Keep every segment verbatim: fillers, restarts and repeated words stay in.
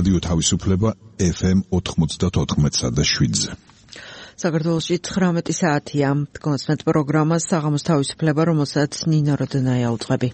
რადიო თავისუფლება ეფ ემ ოთხმოცდაოთხ და შვიდზე. საქართველოში ცხრამეტი საათია. კონსმეთ პროგრამა საღამოს თავისუფლება, რომელსაც ნინო როდნაია უწყები.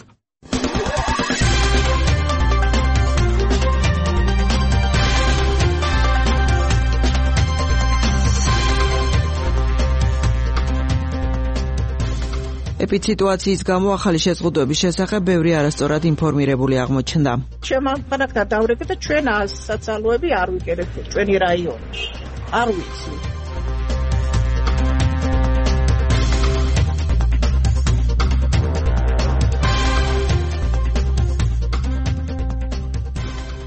ეპიდემიის გამო ახალი შეზღუდვების შესახებ ბევრი არასწორად ინფორმირებული აღმოჩნდა. შემამხანაგდა დავრები და ჩვენ საცალოები არ ვიკერებთ ჩვენი რაიონში. არ ვიცი.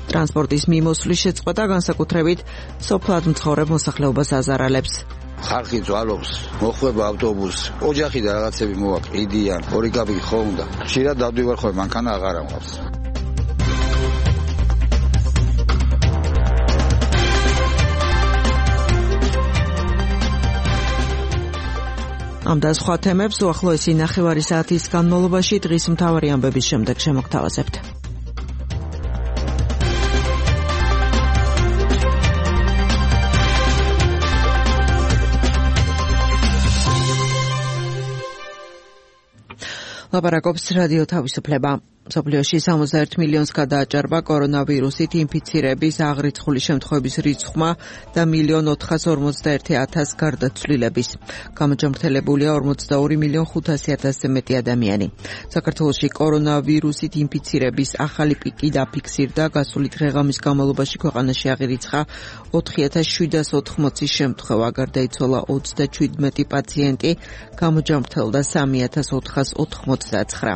ტრანსპორტის მიმოსვლის შეწყვეტა განსაკუთრებით სოფლად მცხოვრებ მოსახლეობას აზარალებს. ხალხი ძვალობს, მოხვება ავტობუსი, ოჯახი და რაღაცები მოვაკიდიან, ორი კაბი ხო უნდა. ხშირად დავდივარ ხოლმე, მანქანა აღარ ამყავს. ამ და სხვა თემებს უახლოესი ნახევარი საათის განმავლობაში დღის მთავარი ამბების შემდეგ შემოგთავაზებთ. ლაპარაკობს რადიო თავისუფლება. მსოფლიოში სამოცდაერთ მილიონს გადააჭარბა კორონავირუსით ინფიცირების აღრიცხული შემთხვევების რიცხვმა და მილიონ ოთხას ორმოცდაერთი ათას გარდაცვლილების. გამოჯამრთელებულია ორმოცდაორი მილიონ ხუთასი ათასზე მეტი ადამიანი. საქართველოში კორონავირუსით ინფიცირების ახალი პიკი დაფიქსირდა. გასული დღე-ღამის განმავლობაში ქვეყანაში აღირიცხა ოთხი ათას შვიდას ოთხმოცი შემთხვევა, გარდაიცვალა ოცდაჩვიდმეტი პაციენტი, გამოჯამრთელდა სამი ათას ოთხას ოთხმოცდაცხრა.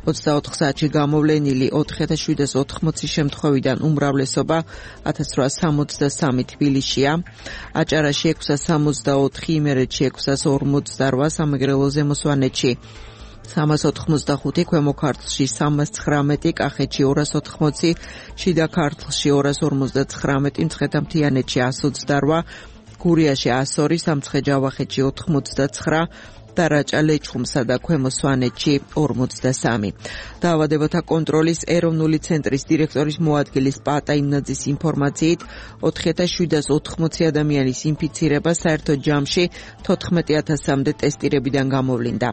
ოცდაოთხ საათში გამოვლენილი ოთხი ათას შვიდას ოთხმოცი შემთხვევიდან უმრავლესობა ათას რვაას სამოცდასამი თბილისშია, აჭარაში ექვსას სამოცდაოთხი, იმერეთში ექვსას ორმოცდარვა, სამეგრელოზე მოსვანეთში სამას ოთხმოცდახუთი, ქვემო ქართლში სამას ცხრამეტი, კახეთში ორას ოთხმოცი, შიდა ქართლში ორას ორმოცდაცხრამეტი, მცხეთა-მთიანეთში ას ოცდარვა, გურიაში ას ორი, სამცხე-ჯავახეთში ოთხმოცდაცხრა, დარაჭა ლეჩხუმსა და ქვემო სვანეთში ორმოცდასამი. დაავადებათა კონტროლის ეროვნული ცენტრის დირექტორის მოადგილის პატა იმნაძის ინფორმაციით ოთხი ათას შვიდას ოთხმოცი ადამიანის ინფიცირება საერთო ჯამში თოთხმეტი ათასამდე ტესტირებიდან გამოვლინდა.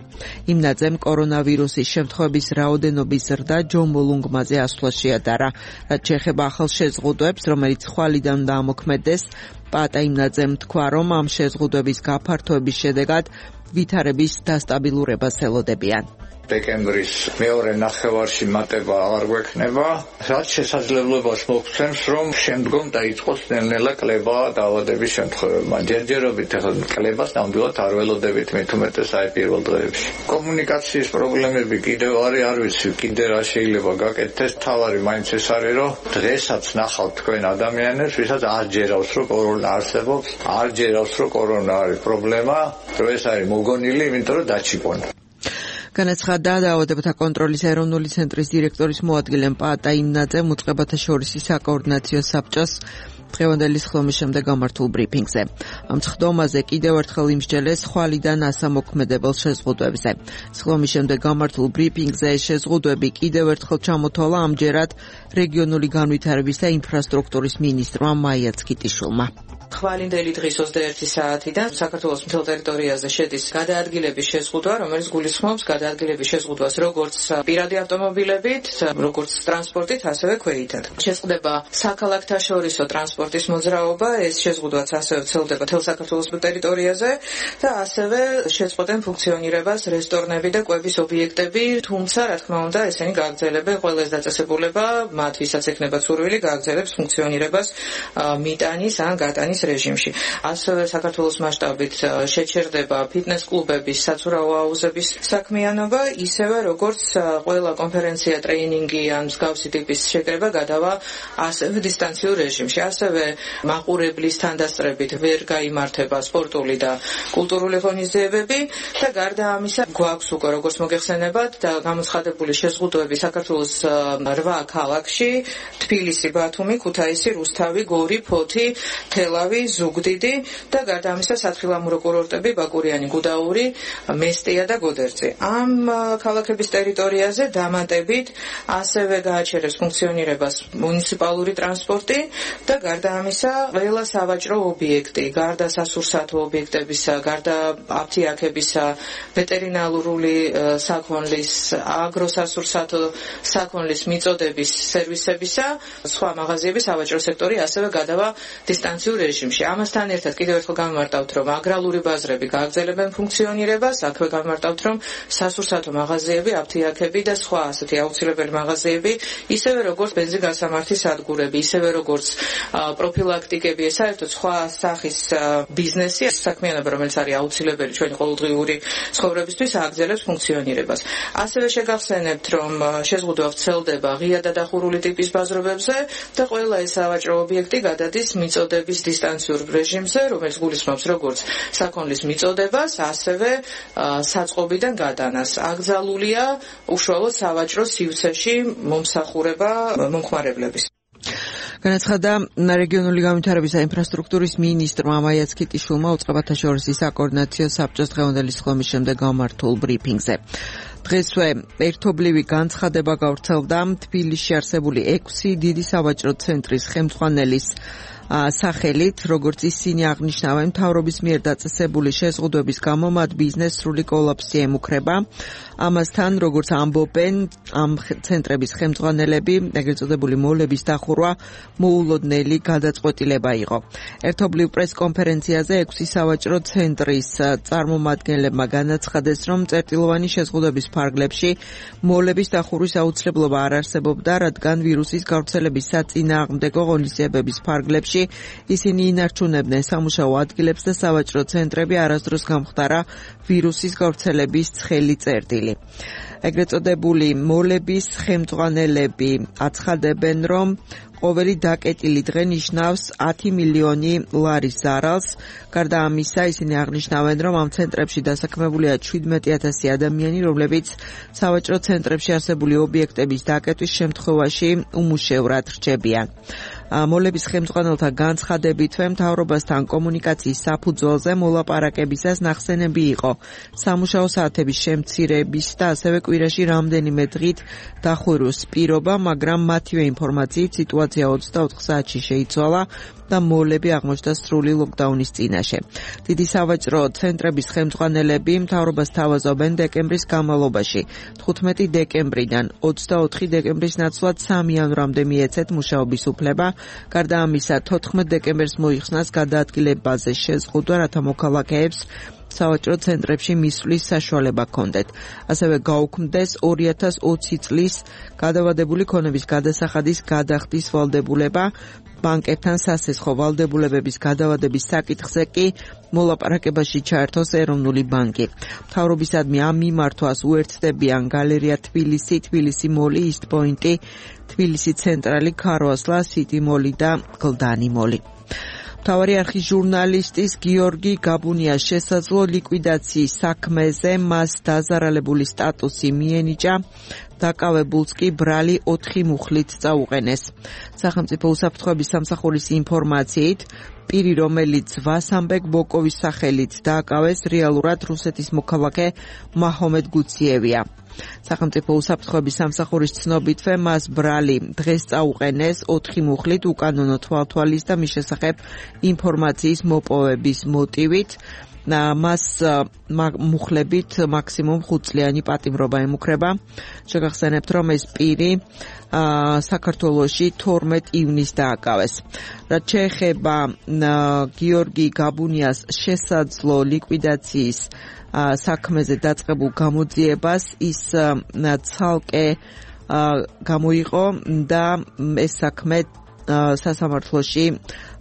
იმნაძემ კორონავირუსის შემთხვევების რაოდენობის ზრდა ჯომოლუნგმაზე ასვლა შეადარა. რაც შეეხება ახალ შეზღუდვებს, რომელიც ხვალიდან უნდა ამოქმედდეს, პატა იმნაძემ თქვა, რომ ამ შეზღუდვების გაფართოების შედეგად ვითარების დასტაბილურებას ელოდებიან. დეკემბრის მეორე ნახევარში მატება აღარ გვექნება, რაც შესაძლებლობას მოგცემს, რომ შემდგომ დაიწყოს ნელ-ნელა კლება დაავადების შემთხვევებმა. ჯერჯერობით ახლა კლებას ნამდვილად არ ველოდებით, მით უმეტეს აი პირველ დღეებში. კომუნიკაციის პრობლემები კიდევ არის, არ ვიცი, კიდე რა შეიძლება გაკეთდეს. თავარი მაინც ეს არის, რომ დღესაც ნახავთ თქვენ ადამიანებს, ვისაც არ ჯერავს, რომ კორონა არსებობს, არ ჯერავს, რომ კორონა არის პრობლემა, რომ ეს არის მოგონილი, იმიტომ რომ დაჩიპონ. განაცხადა დაავადებათა კონტროლის ეროვნული ცენტრის დირექტორის მოადგილემ პატა იმნაძემ უწყებათა შორის საკოორდინაციო საბჭოს დღევანდელი სხდომის შემდეგ გამართულ ბრიფინგზე. ამ სხდომაზე კიდევ ერთხელ იმსჯელეს ხვალიდან ასამოქმედებელ შეზღუდვებზე. სხდომის შემდეგ გამართულ ბრიფინგზე შეზღუდვები კიდევ ერთხელ ჩამოთვალა ამჯერად რეგიონული განვითარების და ინფრასტრუქტურის მინისტრმა მაია ცქიტიშვილმა. ხვალინდელი დღის ოცდაერთი საათიდან საქართველოს მთელ ტერიტორიაზე შედის გადაადგილების შეზღუდვა, რომელიც გულისხმობს გადაადგილების შეზღუდვას როგორც პირადი ავტომობილებით, როგორც ტრანსპორტით, ასევე ქვეითად. შეწყდება საქალაქთაშორისო ტრანსპორტის მოძრაობა, ეს შეზღუდვაც ასევე ვრცელდება მთელ საქართველოს ტერიტორიაზე და ასევე შეწყვეტენ ფუნქციონირებას რესტორნები და კვების ობიექტები, თუმცა, რა თქმა უნდა, ესენი გააგრძელებენ ყველას დაწესებულება, მათ ვისაც ექნება სურვილი, გააგრძელებს ფუნქციონირებას მიტანის ან გატანის რეჟიმში. ასევე საქართველოს მასშტაბით შეჩერდება ფიტნეს კლუბების, საცურაო აუზების საქმიანობა, ისევე როგორც ყველა კონფერენცია, ტრეინინგი ან მსგავსი ტიპის შეკრება გადავა ასევე დისტანციურ რეჟიმში. ასევე მაყურებლის თანდასწრებით ვერ გაიმართება სპორტული და კულტურული ღონისძიებები და გარდა ამისა გვაქვს უკვე როგორც მოგეხსენებათ და გამოცხადებული შეზღუდვები საქართველოს რვა ქალაქში: თბილისი, ბათუმი, ქუთაისი, რუსთავი, გორი, ფოთი, თელავი, ჭირავი, ზუგდიდი და გარდა ამისა სათხილამურო კურორტები ბაკურიანი, გუდაური, მესტია და გოდერძი. ამ ქალაქების ტერიტორიაზე დამატებით ასევე გააჩერებს ფუნქციონირებას მუნიციპალური ტრანსპორტი და გარდა ამისა ყველა სავაჭრო ობიექტი, გარდა სასურსათო ობიექტებისა, გარდა აფთიაქებისა, ვეტერინარული საქონლის, აგროსასურსათო საქონლის მიწოდების სერვისებისა, სხვა მაღაზიების სავაჭრო სექტორი ასევე გადავა დისტანციურ რეჟიმში. ამასთან ერთად კიდევ ერთხელ გამმარტავთ, რომ აგრარული ბაზრები გააგრძელებენ ფუნქციონირებას, აქვე გამმარტავთ, რომ სასურსათო მაღაზიები, აფთიაქები და სხვა ასეთი აუცილებელი მაღაზიები, ისევე როგორც ბენზინგასამართის სადგურები, ისევე როგორც პროფილაქტიკები, საერთოდ სხვა სახის ბიზნესი, საქმიანობა, რომელიც არის აუცილებელი ჩვენი ყოველდღიური ცხოვრებისთვის, ააგრძელებს ფუნქციონირებას. ასევე შეგახსენებთ, რომ შეზღუდვა ვრცელდება ღია და დახურული ტიპის ბაზრობებზე და ყველა ეს სავაჭრო ობიექტი გადადის მიწოდების დისტანციურ რეჟიმზე, რომელიც გულისხმობს როგორც საქონლის მიწოდებას, ასევე საწყობიდან გადანას. აკრძალულია უშუალოდ სავაჭრო სივრცეში მომსახურება მომხმარებლების. განაცხადა რეგიონული განვითარების და ინფრასტრუქტურის მინისტრმა მაია ცქიტიშვილმა უწყებათა შორის საკოორდინაციო საბჭოს დღევანდელი სხდომის შემდეგ გამართულ ბრიფინგზე. დღესვე ერთობლივი განცხადება გავრცელდა თბილისში არსებული ექვსი დიდი სავაჭრო ცენტრის ხელმძღვანელის სახელით, როგორც ისინი აღნიშნავენ, მთავრობის მიერ დაწესებული შეზღუდვების გამო მათ ბიზნეს სრული კოლაფსი ემუქრება. ამასთან, როგორც ამბობენ ამ ცენტრების ხელმძღვანელები, ეგრეთ წოდებული მოლების დახურვა მოულოდნელი გადაწყვეტილება იყო. ერთობლივ პრესკონფერენციაზე ექვსი სავაჭრო ცენტრის წარმომადგენლებმა განაცხადეს, რომ წერტილოვანი შეზღუდვების ფარგლებში მოლების დახურვის აუცილებლობა არ არსებობდა, რადგან ვირუსის გავრცელების საწინააღმდეგო ღონისძიებების ფარგლებში ისინი ინარჩუნებდნენ სამუშაო ადგილებს და სავაჭრო ცენტრები არასდროს გამხდარა ვირუსის გავრცელების ცხელი წერტილი. ეგრეთ წოდებული მოლების ხელმძღვანელები აცხადებენ, რომ ყოველი დაკეტილი დღე ნიშნავს ათი მილიონი ლარის ზარალს. გარდა ამისა, ისინი აღნიშნავენ, რომ ამ ცენტრებში დასაქმებულია შვიდმეტი ათასი ადამიანი, რომლებიც სავაჭრო ცენტრებში არსებული ობიექტების დაკეტვის შემთხვევაში უმუშევრად რჩებიან. მოლების ხელმძღვანელთა განცხადებითვე მთავრობასთან კომუნიკაციის საფუძველზე მოლაპარაკებისას ნახსენები იყო სამუშაო საათების შემცირების და ასევე კვირაში რამდენიმე დღით დახურვის პირობა, მაგრამ მათივე ინფორმაციით სიტუაცია ოცდაოთხ საათში შეიცვალა და მოლები აღმოჩნდა სრული ლოკდაუნის წინაშე. დიდი სავაჭრო ცენტრების ხელმძღვანელები მთავრობას თავაზობენ დეკემბრის განმავლობაში, თხუთმეტი დეკემბრიდან ოცდაოთხი დეკემბრის ნაცვლად სამი იანვრამდე მიეცეთ მუშაობის უფლება. გარდა ამისა, თოთხმეტ დეკემბერს მოიხსნას გადაადგილებაზე შეზღუდვა, რათა მოქალაქეებს სავაჭრო ცენტრებში მისვლის საშუალება ჰქონდეთ. ასევე გაუქმდეს ორი ათას ოცი წლის გადავადებული ქონების გადასახადის გადახდის ვალდებულება. ბანკებთან სასესხო ვალდებულებების გადავადების საკითხზე კი მოლაპარაკებაში ჩაერთოს ეროვნული ბანკი. მთავრობისადმი ამ მიმართვას უერთდებიან გალერეა თბილისი, თბილისი მოლი, ისტ პოინტი, თბილისი ცენტრალი, ქარვასლა, სიტი მოლი და გლდანი მოლი. მთავარი არხის ჟურნალისტის გიორგი გაბუნიას შესაძლო ლიკვიდაციის საქმეზე მას დაზარალებული სტატუსი მიენიჭა, დაკავებულს კი ბრალი ოთხი მუხლით წაუყენეს. სახელმწიფო უსაფრთხოების სამსახურის ინფორმაციით, პირი, რომელიც ვასამბეკ ბოკოვის სახელით დააკავეს, რეალურად რუსეთის მოქალაქე მაჰომედ გუციევია. სახელმწიფო უსაფრთხოების სამსახურის ცნობითვე მას ბრალი დღეს წაუყენეს ოთხი მუხლით უკანონო თვალთვალის და მის შესახებ ინფორმაციის მოპოვების მოტივით. მას მუხლებით მაქსიმუმ ხუთწლიანი პატიმრობა ემუქრება. შეგახსენებთ, რომ ეს პირი საქართველოში თორმეტ ივნისს დააკავეს. რაც შეეხება გიორგი გაბუნიას შესაძლო ლიკვიდაციის საქმეზე დაწყებულ გამოძიებას, ის ცალკე გამოიყო და ეს საქმე სასამართლოში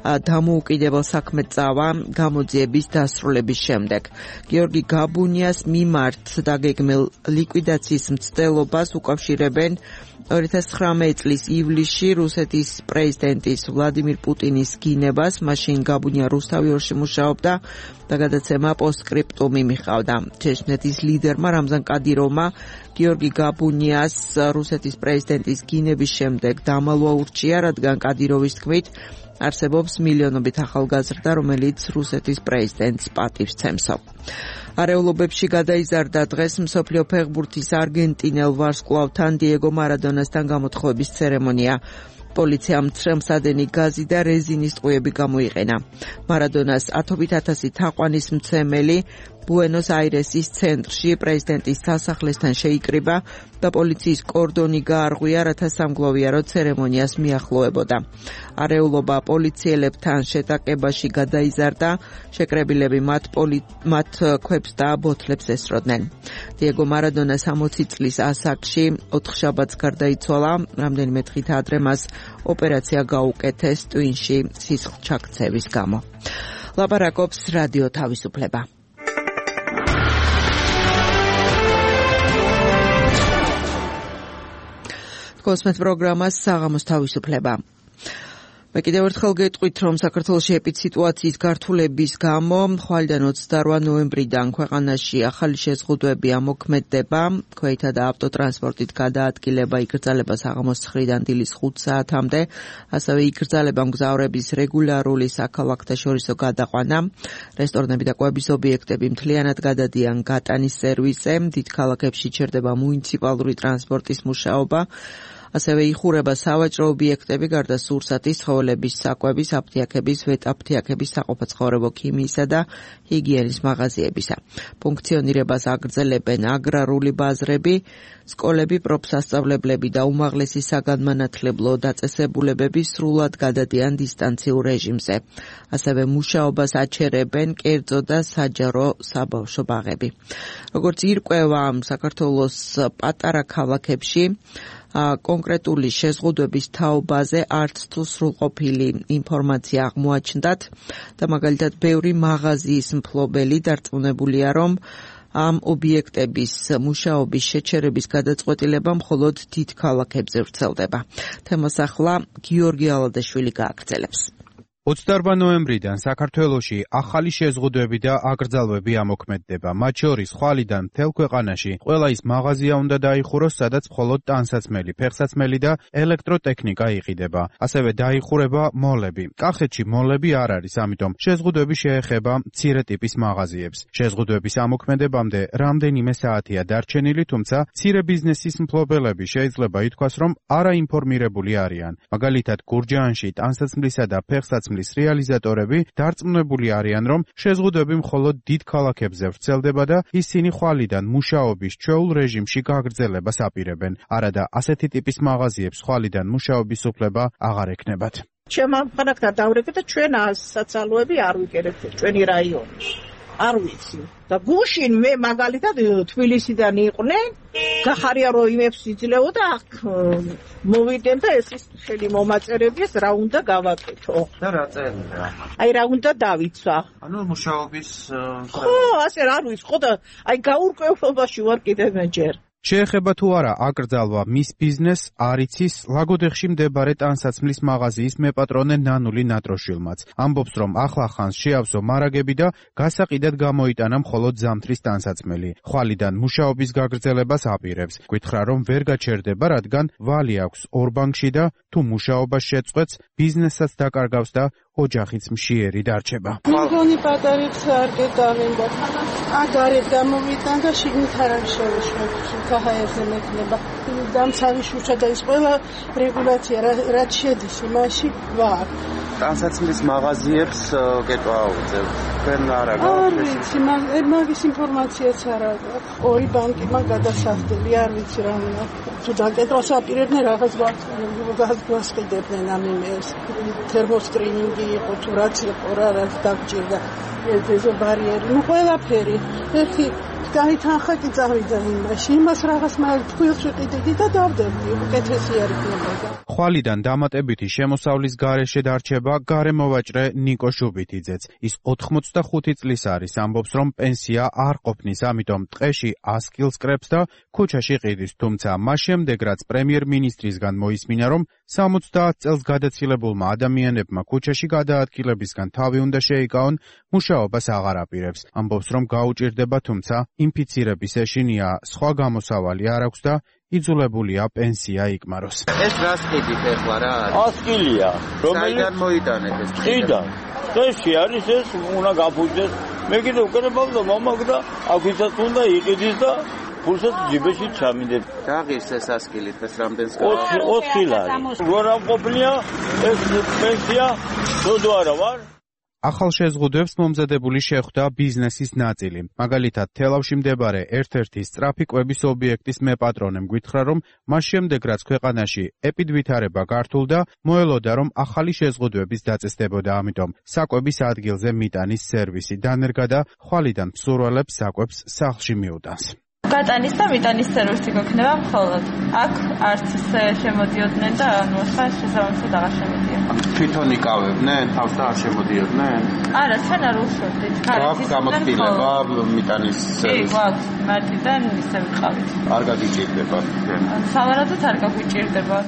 დამოუკიდებელ საქმედ წავა გამოძიების დასრულების შემდეგ. გიორგი გაბუნიას მიმართ დაგეგმილ ლიკვიდაციის მცდელობას უკავშირებენ ორი ათას ცხრამეტი წლის ივლისში რუსეთის პრეზიდენტის ვლადიმირ პუტინის გინებას. მაშინ გაბუნია რუსთავიორში მუშაობდა და გადაცემა პოსტსკრიპტუმი მიჰყავდა. ჩეჩნეთის ლიდერმა რამზან კადიროვმა გიორგი გაბუნიას რუსეთის პრეზიდენტის გინების შემდეგ დამალვა ურჩია, რადგან კადიროვის თქმით არსებობს მილიონობით ახალგაზრდა, რომელიც რუსეთის პრეზიდენტს პატივს ცემსო. არეულობებში გადაიზარდა დღეს მსოფლიო ფეხბურთის არგენტინელ ვარსკვლავთან დიეგო მარადონასთან გამოთხოვების ცერემონია. პოლიციამ მცრემსადენი გაზი და რეზინის ტყუები გამოიყენა. მარადონას ათობით ათასი თაყვანის მცემელი ბუენოს აირესის ცენტრში პრეზიდენტის სასახლესთან შეიკრიბა და პოლიციის კორდონი გაარღვია, რათა სამგლოვიარო ცერემონიას მიახლოებოდა. არეულობა პოლიციელებთან შეტაკებაში გადაიზარდა, შეკრებილები მათ, პოლი... მათ ქვებს და ბოთლებს ესროდნენ. დიეგო მარადონას ოცი წლის ასაკში ოთხშაბათს გარდაიცვალა, რამდენიმე დღით ადრე მას ოპერაცია გაუკეთეს ტვინში სისხლჩაქცევის გამო. ლაპარაკობს რადიო თავისუფლება. კოსმეთ პროგრამას საღამოს თავისუფლება. მე კიდევ ერთხელ გეტყვით, რომ საქართველოში ეპიდსიტუაციის გართულების გამო ხვალიდან ოცდაორი ნოემბრიდან ქვეყანაში ახალი შეზღუდვები ამოქმედდება. ქვეითა და ავტოტრანსპორტით გადაადგილება იკრძალება საღამოს ცხრიდან დილის ხუთ საათამდე. ასევე იკრძალება მგზავრების რეგულარული საქალაქთაშორისო გადაყვანა. რესტორნები და კვების ობიექტები მთლიანად გადადიან გატანის სერვისზე. დიდ ქალაქებში ჩერდება მუნიციპალური ტრანსპორტის მუშაობა. ასევე იხურება სავაჭრო ობიექტები, გარდა სურსათის, ცხოველების საკვების, აფთიაქების, ვეტაფთიაქების, საყოფაცხოვრებო ქიმიისა და ჰიგიენის მაღაზიებისა. ფუნქციონირებას აგრძელებენ აგრარული ბაზრები, სკოლები, პროფსასწავლებლები და უმაღლესი საგანმანათლებლო დაწესებულებები სრულად გადადიან დისტანციურ რეჟიმზე. ასევე მუშაობას აჩერებენ კერძო და საჯარო საბავშვო ბაღები. როგორც ირკვევა საქართველოს პატარა ქალაქებში, კონკრეტული შეზღუდვების თაობაზე არც თუ სრულყოფილი ინფორმაცია აღმოაჩნდათ და მაგალითად ბევრი მაღაზიის მფლობელი დარწმუნებულია, რომ ამ ობიექტების მუშაობის შეჩერების გადაწყვეტილება მხოლოდ დიდ ქალაქებზე ვრცელდება. თემას ახლა გიორგი ალადაშვილი გააგრძელებს. ოცდაორი ნოემბრიდან საქართველოში ახალი შეზღუდვები და აკრძალვები ამოქმედდება. მათ შორის ხვალიდან მთელ ქვეყანაში ყველა ის მაღაზია უნდა დაიხუროს, სადაც მხოლოდ ტანსაცმელი, ფეხსაცმელი და ელექტროტექნიკა იყიდება. ასევე დაიხურება მოლები. კახეთში მოლები არ არის, ამიტომ შეზღუდვები შეეხება მცირე ტიპის მაღაზიებს. შეზღუდვების ამოქმედებამდე რამდენიმე საათია დარჩენილი, თუმცა მცირე ბიზნესის მფლობელები შეიძლება ითქვას, რომ არაინფორმირებული არიან. მაგალითად, გურჯაანში ტანსაცმლისა და ფეხსაცმლის რეალიზატორები დარწმუნებული არიან, რომ შეზღუდვები მხოლოდ დიდ ქალაქებზე ვრცელდება და ისინი ხვალიდან მუშაობის ჩვეულ რეჟიმში გაგრძელებას აპირებენ. არადა ასეთი ტიპის მაღაზიებს ხვალიდან მუშაობის უფლება აღარ ექნებათ. ჩემ ამ ხანაკთან დავრეკე და ჩვენ საცალოები არ ვიკერებთ ჩვენი რაიონი. არ ვიცი. და გუშინ მე მაგალითად თბილისიდან იყვნენ, გახარია რომ იმებს იძლეო და აქ მოვიდენ და ეს ის შენი მომაწერების რა უნდა გავაკეთო. და რა წერია? აი რა უნდა დავიცვა. ანუ მუშაობის ხო, ასე არ ვიცი, ხო და აი გაურკვევლობაში ვარ კიდევ მე ჯერ. შეეხება თუ არა აკრძალვა მის ბიზნესს, არ იცის ლაგოდეხში მდებარე ტანსაცმლის მაღაზიის მეპატრონე ნანული ნატროშვილმაც. ამბობს, რომ ახლახანს შეავსო მარაგები და გასაყიდად გამოიტანა მხოლოდ ზამთრის ტანსაცმელი. ხვალიდან მუშაობის გაგრძელებას აპირებს. გითხრა, რომ ვერ გაჩერდება, რადგან ვალი აქვს ორ ბანკში და თუ მუშაობას შეწყვეტს, ბიზნესაც დაკარგავს და ოჯახიც მშიერი დარჩება. მიგონი პატარიც არ გეტავენ და აგარეთ გამოვიდან და შიგნით არ შევეშვებ. ქაჰაერზე მექნება. დამცავი შუშა და ის ყველა რეგულაცია რაც შედის იმაში ვარ. ტანსაცმლის მაღაზიებს გეტვაუძებ. თქვენ არა არ ვიცი, მაგის ინფორმაციაც არ აქვს. ორი ბანკი მაგ გადასახდელი, არ ვიცი რა უნდა. თუ დაკეთოს აპირებდნენ რაღაც გვასყიდებდნენ ამ იმეს. თერმოსკრინინგი იყო თუ რაც იყო რა რაც დაგჭირდა. ეს ბარიერი, ну ყველაფერი. ერთი გაითანხა კი წავიდა იმაში. იმას რაღაც მაგ თქვილს ვიყიდდი და დავდებდი. უკეთესი არ იქნებოდა. ხვალიდან დამატებითი შემოსავლის გარეშე დარჩება გარემოვაჭრე ნიკო შუბითიძეც. ის ოთხმოცდახუთი წლის არის, ამბობს, რომ პენსია არ ყოფნის, ამიტომ ტყეში ასკილს კრებს და ქუჩაში ყიდის, თუმცა მას შემდეგ რაც პრემიერ-მინისტრისგან მოისმინა, რომ სამოცდაათ წელს გადაცილებულმა ადამიანებმა ქუჩაში გადაადგილებისგან თავი უნდა შეიკავონ, მუშაობას აღარ აპირებს. ამბობს, რომ გაუჭირდება, თუმცა ინფიცირების ეშინია, სხვა გამოსავალი არ აქვს და იძულებულია პენსია იკმაროს. ეს რას კიდით ეხლა რა არის? ასკილია. საიდან მოიტანეთ ეს? ხიდან. წესი არის ეს, უნდა გაფუძდეს. მე კიდე უკრებავდა მომაგ და აგვიცაც უნდა იყიდის და ფულსაც ჯიბეში ჩამინდეთ. დაღის ეს ასკილით ეს რამდენს გავა? ოთხი ლარი. როგორ ამყოფილია ეს პენსია? დოდო არა ვარ? ახალ შეზღუდვებს მომზადებული შეხვდა ბიზნესის ნაწილი. მაგალითად, თელავში მდებარე ერთ-ერთი სწრაფი კვების ობიექტის მეპატრონემ გვითხრა, რომ მას შემდეგ, რაც ქვეყანაში ეპიდვითარება გართულდა, მოელოდა, რომ ახალი შეზღუდვების დაწესდებოდა, ამიტომ საკვების ადგილზე მიტანის სერვისი დანერგა და ხვალიდან მსურველებს საკვებს სახლში მიუტანს. გატანის და მიტანის სერვისი გქნება მხოლოდ. აქ არც ისე შემოდიოდნენ და ანუ ახლა შესაბამისად აღარ შემოდიან. თვითონ იკავებდნენ, თავს და არ შემოდიოდნენ? არა, ჩვენ არ უშორდით. გააქვს გამოცდილება მიტანის სერვისი? კი, გვაქვს. მარტიდან ისე ვიყავით. არ გაგიჭირდება? სავარაუდოდ არ გაგვიჭირდება.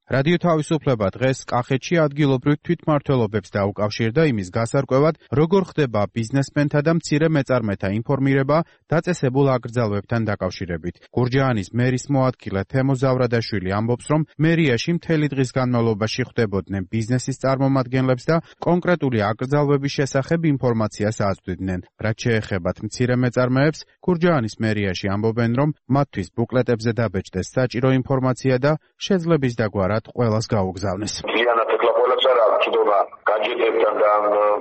რადიო თავისუფლება დღეს კახეთში ადგილობრივ თვითმმართველობებს დაუკავშირდა იმის გასარკვევად, როგორ ხდება ბიზნესმენთა და მცირე მეწარმეთა ინფორმირება დაწესებულ აკრძალვებთან დაკავშირებით. გურჯაანის მერის მოადგილე თემო ზავრადაშვილი ამბობს, რომ მერიაში მთელი დღის განმავლობაში ხვდებოდნენ ბიზნესის წარმომადგენლებს და კონკრეტული აკრძალვების შესახებ ინფორმაციას აწვდიდნენ. რაც შეეხებათ მცირე მეწარმეებს, გურჯაანის მერიაში ამბობენ, რომ მათთვის ბუკლეტებზე დაბეჭდეს საჭირო ინფორმაცია და შეძლების დაგვარად ყველას გაუგზავნეს. Იანად ეხლა ყველას არ აქვს ცდომა გაჯეტებთან და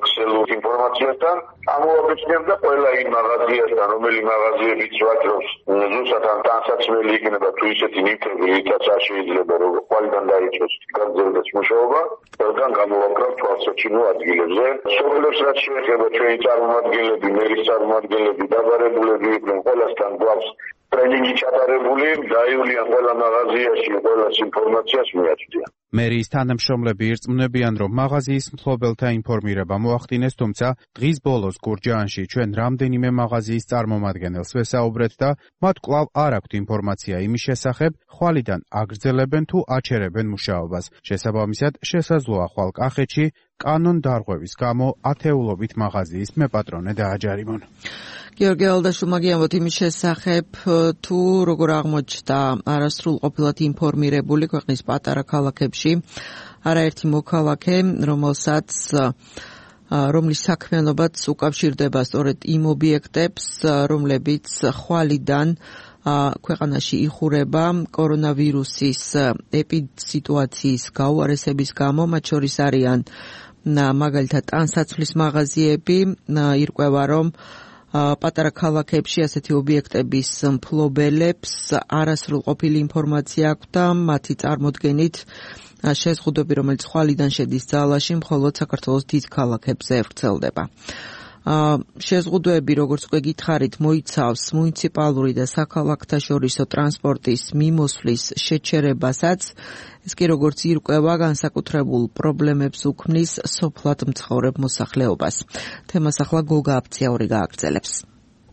ქსელურ ინფორმაციასთან. ამოვაბეჭდებ და ყველა იმ მაღაზიასთან, რომელი მაღაზიებიც ვაჭრობს, ზუსტად ამ ტანსაცმელი იქნება თუ ისეთი ნივთები, რითაც არ შეიძლება რომ ყველგან დაიწყოს გაგრძელდეს მუშაობა, ყველგან გამოვაკრავ თვალსაჩინო ადგილებზე. სოფლებს რაც შეეხება ჩვენი წარმომადგენლები, მერის წარმომადგენლები, დაბარებულები იყვნენ, ყველასთან გვაქვს ტრენინგი ჩატარებული, დაივლიან ყველა მაღაზიაში, ყველას ინფორმაციას მიაწვდიან. მერიის თანამშრომლები ირწმუნებიან, რომ მაღაზიის მფლობელთა ინფორმირება მოახდინეს, თუმცა დღის ბოლოს გურჯაანში ჩვენ რამდენიმე მაღაზიის წარმომადგენელს ვესაუბრეთ და მათ კვლავ არ აქვთ ინფორმაცია იმის შესახებ, ხვალიდან აგრძელებენ თუ აჩერებენ მუშაობას. შესაბამისად, შესაძლოა ხვალ კახეთში კანონ დარღვევის გამო ათეულობით მაღაზიის მეპატრონე დააჯარიმონ. გიორგი ალდაშვილმა გიამბოთ იმის შესახებ, თუ როგორ აღმოჩნდა არასრულყოფილად ინფორმირებული ქვეყნის პატარა ქალაქებში არაერთი მოქალაქე, რომელსაც რომლის საქმიანობაც უკავშირდება სწორედ იმ ობიექტებს, რომლებიც ხვალიდან ქვეყანაში იხურება კორონავირუსის ეპიდსიტუაციის გაუარესების გამო, მათ შორის არიან მაგალითად ტანსაცმლის მაღაზიები, ირკვევა, რომ პატარა ქალაქებში ასეთი ობიექტების მფლობელებს არასრულყოფილი ინფორმაცია აქვს და მათი წარმოდგენით შეზღუდვები, რომელიც ხვალიდან შედის ძალაში, მხოლოდ საქართველოს დიდ ქალაქებზე ვრცელდება. შეზღუდვები, როგორც უკვე გითხარით, მოიცავს მუნიციპალური და საქალაქთაშორისო ტრანსპორტის მიმოსვლის შეჩერებასაც. ეს კი როგორც ირკვევა, განსაკუთრებულ პრობლემებს უქმნის სოფლად მცხოვრებ მოსახლეობას. თემას ახლა გოგა აფციაური გააგრძელებს.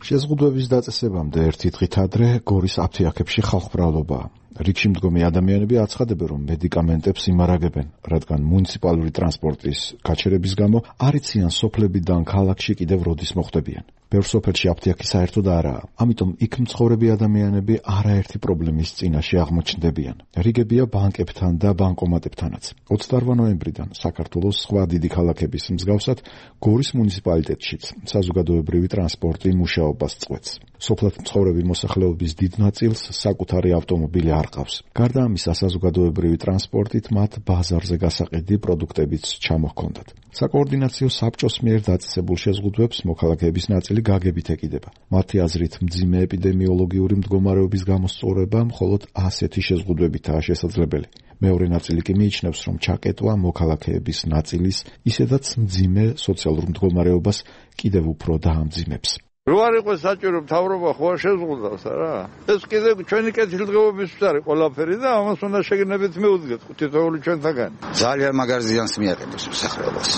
შეზღუდვების დაწესებამდე ერთი დღით ადრე გორის აფთიაქებში ხალხმრავლობაა. რიგში მდგომი ადამიანები აცხადებენ, რომ მედიკამენტებს იმარაგებენ, რადგან მუნიციპალური ტრანსპორტის გაჩერების გამო არ იციან სოფლებიდან ქალაქში კიდევ როდის მოხვდებიან. ბევრ სოფელში აფთიაქი საერთოდ არაა, ამიტომ იქ მცხოვრები ადამიანები არაერთი პრობლემის წინაშე აღმოჩნდებიან. რიგებია ბანკებთან და ბანკომატებთანაც. ოცდაოთხ ნოემბრიდან საქართველოს სხვა დიდი ქალაქების მსგავსად გორის მუნიციპალიტეტშიც საზოგადოებრივი ტრანსპორტი მუშაობას წყვეტს. სოფლად მცხოვრები მოსახლეობის დიდ ნაწილს საკუთარი ავტომობილი არ ყავს. გარდა ამისა, საზოგადოებრივი ტრანსპორტით მათ ბაზარზე გასაყიდი პროდუქტებიც ჩამოჰქონდათ. საკოორდინაციო საბჭოს მიერ დაწესებულ შეზღუდვებს მოქალაქეების ნაწილი გაგებით ეკიდება. მათი აზრით, მძიმე ეპიდემიოლოგიური მდგომარეობის გამოსწორება მხოლოდ ასეთი შეზღუდვებითაა შესაძლებელი. მეორე ნაწილი კი მიიჩნევს, რომ ჩაკეტვა მოქალაქეების ნაწილის, ისედაც მძიმე სოციალურ მდგომარეობას კიდევ უფრო დაამძიმებს. რო არ იყოს საჭირო მთავრობა ხო არ შეზღუდავს რა. ეს კიდევ ჩვენი კეთილდღეობის არის ყველაფერი და ამას უნდა შეგნებით მეუდგეთ თითოეული ჩვენთაგან. ძალიან მაგარ ზიანს მიაყენებს მოსახლეობას.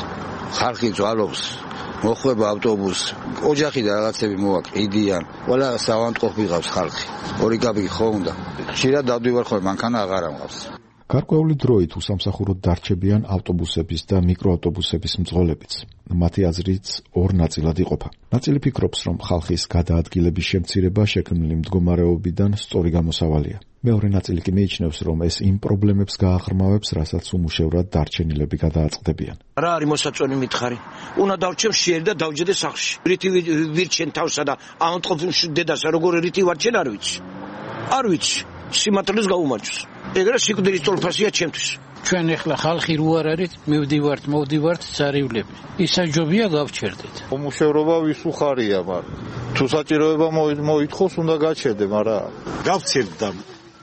ხალხი ძვალობს, მოხვება ავტობუსს, ოჯახი და რაღაცები მოვაკიდიან. ყველა საავადმყოფო ვიღავს ხალხი. ორი კაბი ხო უნდა. ხშირად დავდივარ ხოლმე, მანქანა აღარ ამყავს. გარკვეული დროით უსამსახუროდ დარჩებიან ავტობუსების და მიკროავტობუსების მძღოლებიც. მათი აზრიც ორ ნაწილად იყოფა. ნაწილი ფიქრობს, რომ ხალხის გადაადგილების შემცირება შექმნილი მდგომარეობიდან სწორი გამოსავალია. მეორე ნაწილი კი მიიჩნევს, რომ ეს იმ პრობლემებს გააღრმავებს, რასაც უმუშევრად დარჩენილები გადააწყდებიან. რა არის მოსაწონი მითხარი? უნდა დავჩემ შეერი და დავჯდე სახლში. რითი ვირჩენ თავსა და ამოტყობილში დედასა როგორ რითი ვარჩენ არ ვიცი. არ ვიცი. სიმართლეს გაუმარჯოს. ეგრე სიკვდილის თოლფასია ჩემთვის. ჩვენ ახლა ხალხი რო არ არის, მივდივართ, მოვდივართ წარივლები. ისაჯობია გავჩერდეთ. უმუშევრობა ვის უხარია, მაგრამ თუ საჭიროება მოითხოვს, უნდა გაჩერდე, მაგრამ გავცერდა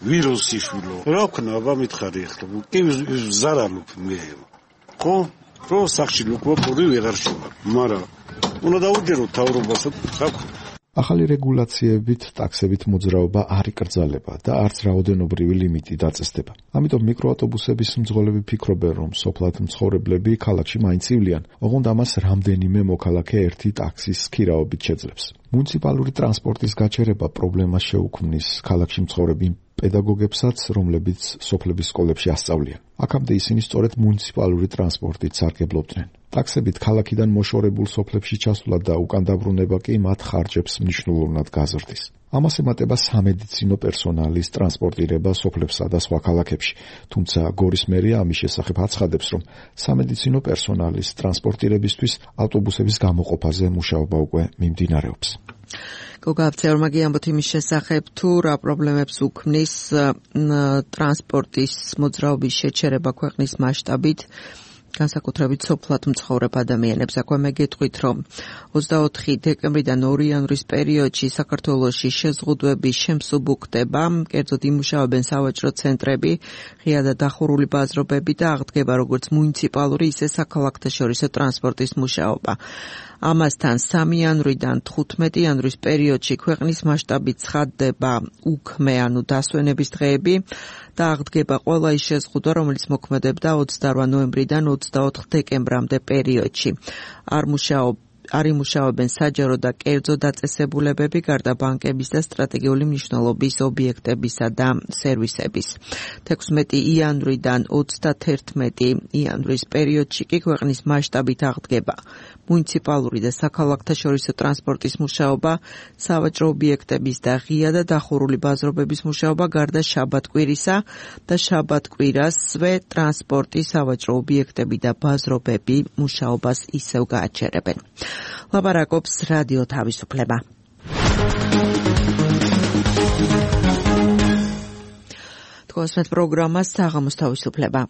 ვირუსი შვილო. რა ვქნა, აბა მითხარი ახლა. კი ზარალობ მე. ხო? რო სახში ლუკვა პური ვეღარ შევა. მაგრამ უნდა დაუჯერო თავრობასო, რა ვქნა. ახალი რეგულაციებით ტაქსებით მოძრაობა არ იკრძალება და არც რაოდენობრივი ლიმიტი დაწესდება. ამიტომ მიკროავტობუსების მძღოლები ფიქრობენ, რომ სოფლად მცხოვრებლები ქალაქში მაინც ივლიან, ოღონდ ამას რამდენიმე მოქალაქე ერთი ტაქსის ქირაობით შეძლებს. მუნიციპალური ტრანსპორტის გაჩერება პრობლემას შეუქმნის ქალაქში მცხოვრებ პედაგოგებსაც, რომლებიც სოფლების სკოლებში ასწავლიან. აქამდე ისინი სწორედ მუნიციპალური ტრანსპორტით სარგებლობდნენ. ტაქსებით ქალაქიდან მოშორებულ სოფლებში ჩასვლა და უკან დაბრუნება კი მათ ხარჯებს მნიშვნელოვნად გაზრდის. ამას ემატება სამედიცინო პერსონალის ტრანსპორტირება სოფლებსა და სხვა ქალაქებში. თუმცა გორის მერია ამის შესახებ აცხადებს, რომ სამედიცინო პერსონალის ტრანსპორტირებისთვის ავტობუსების გამოყოფაზე მუშაობა უკვე მიმდინარეობს. გოგაბცეორმა გიამბოთ იმის შესახებ, თუ რა პრობლემებს უქმნის ტრანსპორტის მოძრაობის შეჩერება ქვეყნის მასშტაბით, განსაკუთრებით სოფლად მცხოვრებ ადამიანებს. აქვე მე გეტყვით, რომ ოცდაოთხი დეკემბრიდან ორი იანვრის პერიოდში საქართველოში შეზღუდვების შემსუბუქდება, კერძოდ იმუშავებენ სავაჭრო ცენტრები, ღია და დახურული ბაზრობები და აღდგება როგორც მუნიციპალური, ისე საქალაქთაშორისო ტრანსპორტის მუშაობა. ამასთან სამი იანვრიდან თხუთმეტი იანვრის პერიოდში ქვეყნის მასშტაბით ცხადდება უქმე, ანუ დასვენების დღეები და აღდგება ყველა ის შეზღუდვა, რომელიც მოქმედებდა ოცდარვა ნოემბრიდან ოცდაოთხ დეკემბრამდე პერიოდში. არ მუშაობ არ იმუშავებენ საჯარო და კერძო დაწესებულებები, გარდა ბანკების და სტრატეგიული მნიშვნელობის ობიექტებისა და სერვისების. თექვსმეტი იანვრიდან ოცდათერთმეტი იანვრის პერიოდში კი ქვეყნის მასშტაბით აღდგება მუნიციპალური და საქალაქთაშორისო ტრანსპორტის მუშაობა, სავაჭრო ობიექტების და ღია და დახურული ბაზრობების მუშაობა, გარდა შაბათ-კვირისა და შაბათ-კვირასვე ტრანსპორტი, სავაჭრო ობიექტები და ბაზრობები მუშაობას ისევ გააჩერებენ. ლაპარაკობს რადიო თავისუფლება. თქვენს პროგრამას საღამოს თავისუფლება.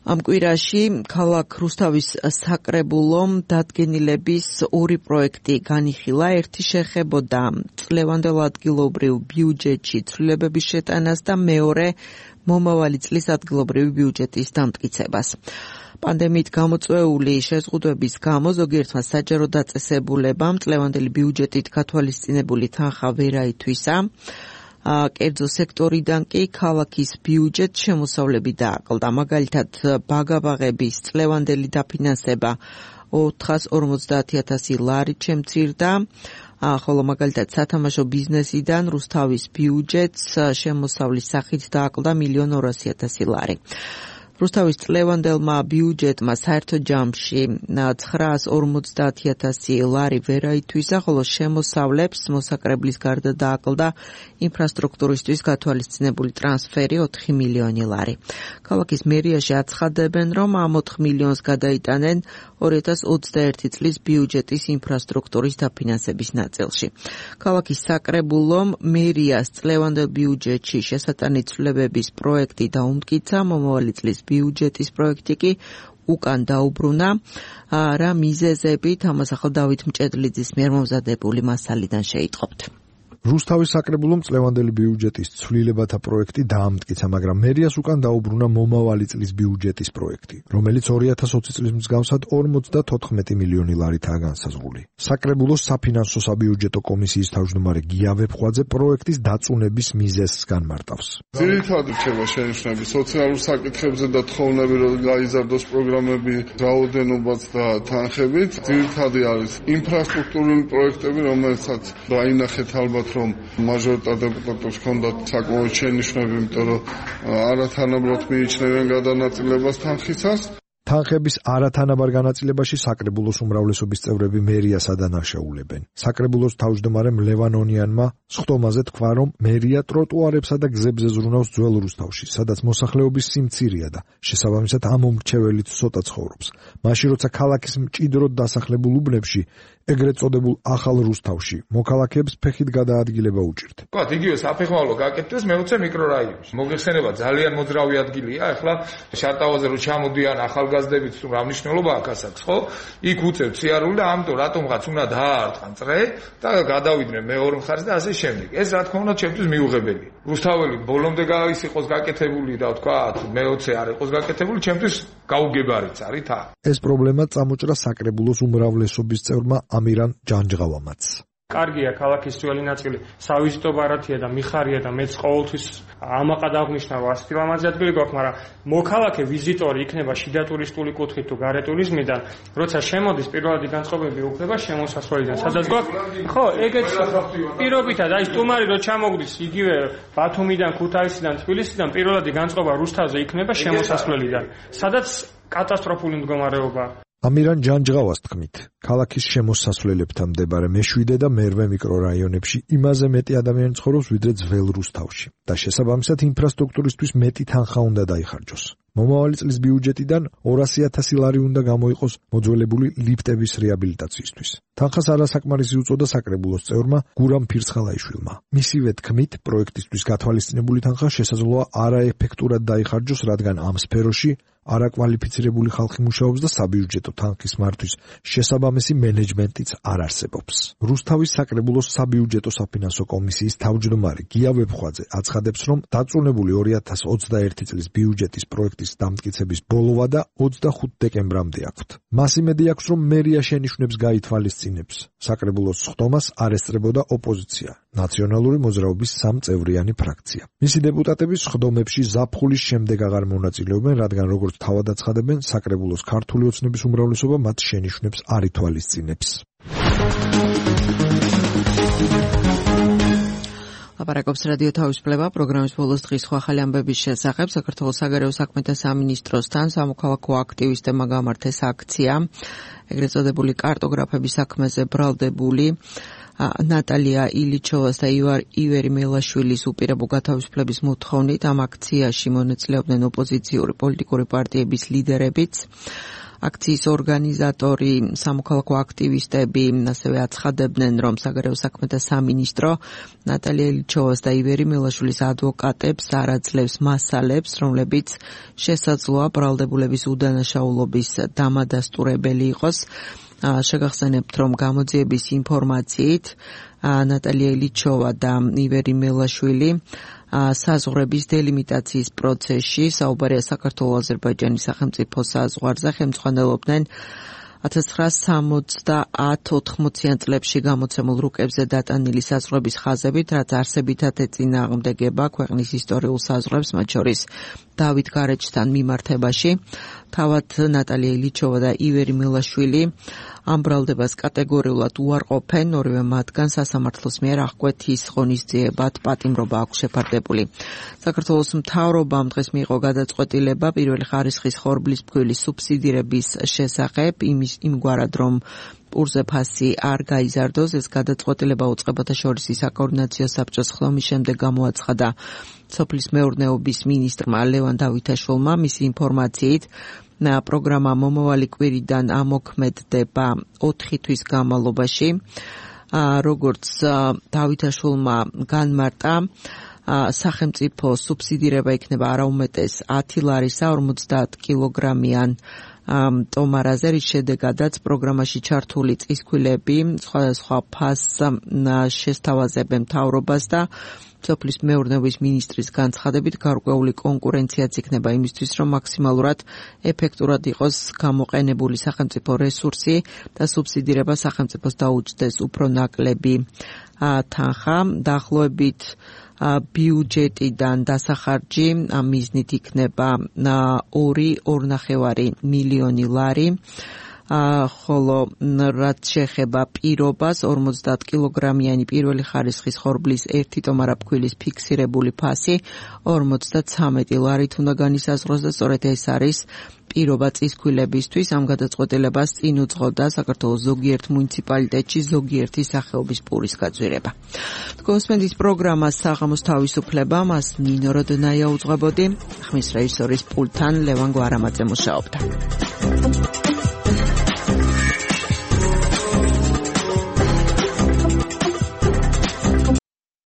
ამ კვირაში ქალაქ რუსთავის საკრებულომ დადგენილების ორი პროექტი განიხილა. ერთი შეხებოდა წლევანდელ ადგილობრივ ბიუჯეტში ცვლილებების შეტანას და მეორე მომავალი წლის ადგილობრივი ბიუჯეტის დამტკიცებას. პანდემიით გამოწვეული შეზღუდვების გამო ზოგიერთმა საჯარო დაწესებულებამ წლევანდელი ბიუჯეტით გათვალისწინებული თანხა ვერ აითვისა. კერძო სექტორიდან კი ქალაქის ბიუჯეტ შემოსავლები დააკლდა. მაგალითად, ბაგაბაღების წლევანდელი დაფინანსება ოთხას ორმოცდაათი ათასი ლარით შემცირდა, ხოლო მაგალითად სათამაშო ბიზნესიდან რუსთავის ბიუჯეტს შემოსავლის სახით დააკლდა მილიონ ორასი ათასი ლარი. რუსთავის წლევანდელმა ბიუჯეტმა საერთო ჯამში ცხრაას ორმოცდაათი ათასი ლარი ვერ აითვისა, ხოლო შემოსავლებს მოსაკრებლის გარდა დააკლდა ინფრასტრუქტურისთვის გათვალისწინებული ტრანსფერი ოთხი მილიონი ლარი. ქალაქის მერიაში აცხადებენ, რომ ამ ოთხ მილიონს გადაიტანენ ორი ათას ოცდაერთი წლის ბიუჯეტის ინფრასტრუქტურის დაფინანსების ნაწილში. ქალაქის საკრებულომ მერიას წლევანდელ ბიუჯეტში შესატანი ცვლილებების პროექტი დაუმტკიცა, მომავალი წლის ბიუჯეტის პროექტი კი უკან დაუბრუნა. რა მიზეზებით, ამას ახლა დავით მჭედლიძის მიერ მომზადებული მასალიდან შეიტყობთ. რუსთავის საკრებულომ წლევანდელი ბიუჯეტის ცვლილებათა პროექტი დაამტკიცა, მაგრამ მერიას უკან დაუბრუნა მომავალი წლის ბიუჯეტის პროექტი, რომელიც ორი ათას ოცი წლის მსგავსად ორმოცდათოთხმეტი მილიონი ლარითაა განსაზღვრული. საკრებულოს საფინანსო საბიუჯეტო კომისიის თავმჯდომარე გია ვეფხვაძე პროექტის დაწუნების მიზეზს განმარტავს. ძირითადად რჩება შენიშვნები სოციალურ საკითხებზე და თხოვნები, რომ გაიზარდოს პროგრამები რაოდენობაც და თანხებით. ძირითადად არის ინფრასტრუქტურული პროექტები, რომელსაც დაინახეთ ალბათ რომ მაჟორიტარ დეპუტატებს ჰქონდათ საკმაოდ შენიშვნები, იმიტომ რომ არათანაბრად მიიჩნევენ გადანაწილებას თანხისას. თანხების არათანაბარ განაწილებაში საკრებულოს უმრავლესობის წევრები მერიას ადანაშაულებენ. საკრებულოს თავმჯდომარემ ლევან ონიანმა სხდომაზე თქვა, რომ მერია ტროტუარებსა და გზებზე ზრუნავს ძველ რუსთავში, სადაც მოსახლეობის სიმცირეა და შესაბამისად ამ მომრჩეველით ცოტა ცხოვრობს. მაშინ როცა ქალაქის მჭიდროდ დასახლებულ უბნებში, ეგრეთ წოდებულ ახალ რუსთავში, მოქალაქეებს ფეხით გადაადგილება უჭირთ. ვთქვათ, იგივე საფეხმავლო გაკეთდეს მეოცე მიკრორაიონში. მოგეხსენება ძალიან მოძრავი ადგილია, ახლა შარტავაზე რო ჩამოდიან ახალგაზრდებით, თუ რა მნიშვნელობა აქვს აქ, ხო? იქ უწევთ სიარული და ამიტომ რატომღაც უნდა დაარტყან წრე და გადავიდნენ მეორე მხარეს და ასე შემდეგ. ეს რა თქმა უნდა ჩემთვის მიუღებელია. რუსთაველი ბოლომდე ის იყოს გაკეთებული და ვთქვათ, მეოცე არ იყოს გაკეთებული, ჩემთვის გაუგებარიც არის თა. ეს პრობლემა წამოჭრა საკრებულოს უმრავლესობის წევრმა ამირან ჯანჯღავამაც. კარგია ქალაქის ძველი ნაწილი სავიზიტო ბარათია და მიხარია და მეც ყოველთვის ამაყად აღნიშნა რომ ასეთი ლამაზი ადგილი გვაქვს, მაგრამ მოქალაქე ვიზიტორი იქნება შიდა ტურისტული კუთხით თუ გარე ტურიზმიდან, როცა შემოდის პირველადი განწყობები უხდება შემოსასვლელიდან. სადაც გვაქვს ხო, ეგეც პირობითად აი სტუმარი რო ჩამოგდის იგივე ბათუმიდან, ქუთაისიდან, თბილისიდან პირველადი განწყობა რუსთავზე იქნება შემოსასვლელიდან, სადაც კატასტროფული მდგომარეობაა. ამირან ჯანჯღავას თქმით, ქალაქის შემოსასვლელებთან მდებარე მეშვიდე და მერვე მიკრორაიონებში იმაზე მეტი ადამიანი ცხოვრობს, ვიდრე ძველ რუსთავში და შესაბამისად ინფრასტრუქტურისთვის მეტი თანხა უნდა დაიხარჯოს. მომავალი წლის ბიუჯეტიდან ორასი ათასი ლარი უნდა გამოიყოს მოძველებული ლიფტების რეაბილიტაციისთვის. თანხას არასაკმარისი უწოდა საკრებულოს წევრმა გურამ ფირცხალაიშვილმა. მისივე თქმით, პროექტისთვის გათვალისწინებული თანხა შესაძლოა არაეფექტურად დაიხარჯოს, რადგან ამ სფეროში არაკვალიფიცირებული ხალხი მუშაობს და საბიუჯეტო თანხის მართვის შესაბამისი მენეჯმენტიც არ არსებობს. რუსთავის საკრებულოს საბიუჯეტო საფინანსო კომისიის თავმჯდომარე გია ვებხვაძე აცხადებს, რომ დაწუნებული ორი ათას ოცდაერთი წლის ბიუჯეტის პროექტის დამტკიცების ბოლოვა და ოცდახუთი დეკემბრამდე აქვთ. მას იმედი აქვს, რომ მერია შენიშვნებს გაითვალისწინებს. საკრებულოს სხდომას არ ესწრებოდა ოპოზიცია, ნაციონალური მოძრაობის სამწევრიანი ფრაქცია. მისი დეპუტატები სხდომებში ზაფხულის შემდეგ აღარ მონაწილეობენ, რადგან როგორც თავად აცხადებენ, საკრებულოს ქართული ოცნების უმრავლესობა მათ შენიშვნებს არ ითვალისწინებს. ლაპარაკობს რადიო თავისუფლება, პროგრამის ბოლოს დღის ახალი ამბების შესახებ. საქართველოს საგარეო საქმეთა სამინისტროსთან სამოქალაქო აქტივისტებმა გამართეს აქცია, ეგრეთ წოდებული კარტოგრაფების საქმეზე ბრალდებული ნატალია ილიჩოვას და ივერი მელაშვილის უპირობო გათავისუფლების მოთხოვნით ამ აქციაში მონაწილეობდნენ ოპოზიციური პოლიტიკური პარტიების ლიდერებიც. აქციის ორგანიზატორი სამოქალაქო აქტივისტები ასევე აცხადებდნენ, რომ საგარეო საქმეთა სამინისტრო ნატალია ილიჩოვას და ივერი მელაშვილის ადვოკატებს არ აძლევს მასალებს, რომლებიც შესაძლოა ბრალდებულების უდანაშაულობის დამადასტურებელი იყოს. შეგახსენებთ, რომ გამოძიების ინფორმაციით ნატალია ილიჩოვა და ივერი მელაშვილი საზღვრების დელიმიტაციის პროცესში საუბარია საქართველო-აზერბაიჯანის სახელმწიფო საზღვარზე ხელმძღვანელობდნენ ათას ცხრაასი სამოცდაათ-ოთხმოციან წლებში გამოცემულ რუკებზე დატანილი საზღვრების ხაზებით, რაც არსებითად ეწინააღმდეგება ქვეყნის ისტორიულ საზღვრებს, მათ შორის დავით გარეჯთან მიმართებაში. თავად ნატალია ილიჩოვა და ივერი მელაშვილი ამ ბრალდებას კატეგორიულად უარყოფენ, ორივე მათგან სასამართლოს მიერ აღკვეთის ღონისძიებად პატიმრობა აქვს შეფარდებული. საქართველოს მთავრობამ დღეს მიიღო გადაწყვეტილება პირველი ხარისხის ხორბლის ფქვილის სუბსიდირების შესახებ, იმის იმგვარად, რომ პურზე ფასი არ გაიზარდოს. ეს გადაწყვეტილება უწყებათა შორის საკოორდინაციო საბჭოს ხდომის შემდეგ გამოაცხადა სოფლის მეურნეობის მინისტრმა ლევან დავითაშვილმა. მისი ინფორმაციით პროგრამა მომავალი კვირიდან ამოქმედდება ოთხი თვის განმავლობაში. როგორც დავითაშვილმა განმარტა, სახელმწიფო სუბსიდირება იქნება არაუმეტეს ათი ლარისა ორმოცდაათ კილოგრამიან ტომარაზე, რის შედეგადაც პროგრამაში ჩართული წისქვილები სხვადასხვა ფასს შესთავაზებენ მთავრობას და სოფლის მეურნეობის მინისტრის განცხადებით გარკვეული კონკურენციაც იქნება იმისთვის, რომ მაქსიმალურად ეფექტურად იყოს გამოყენებული სახელმწიფო რესურსი და სუბსიდირება სახელმწიფოს დაუჯდეს უფრო ნაკლები თანხა. დაახლოებით ბიუჯეტიდან დასახარჯი ამ მიზნით იქნება ორი ორნახევარი მილიონი ლარი. ხოლო რაც შეეხება პირობას ორმოცდაათ კილოგრამიანი პირველი ხარისხის ხორბლის ერთი ტომარა ფქვილის ფიქსირებული ფასი ორმოცდათვრამეტი ლარით უნდა განისაზღვროს და სწორედ ეს არის პირობა წისქვილებისთვის. ამ გადაწყვეტილებას წინ უძღოდა საქართველოს ზოგიერთ მუნიციპალიტეტში ზოგიერთი სახეობის პურის გაძვირება. გოსმენდის პროგრამა საღამოს თავისუფლება მას ნინო როდნაია უძღვებოდი, ხმის რეჟისორის პულტთან ლევან გვარამაძე მუშაობდა.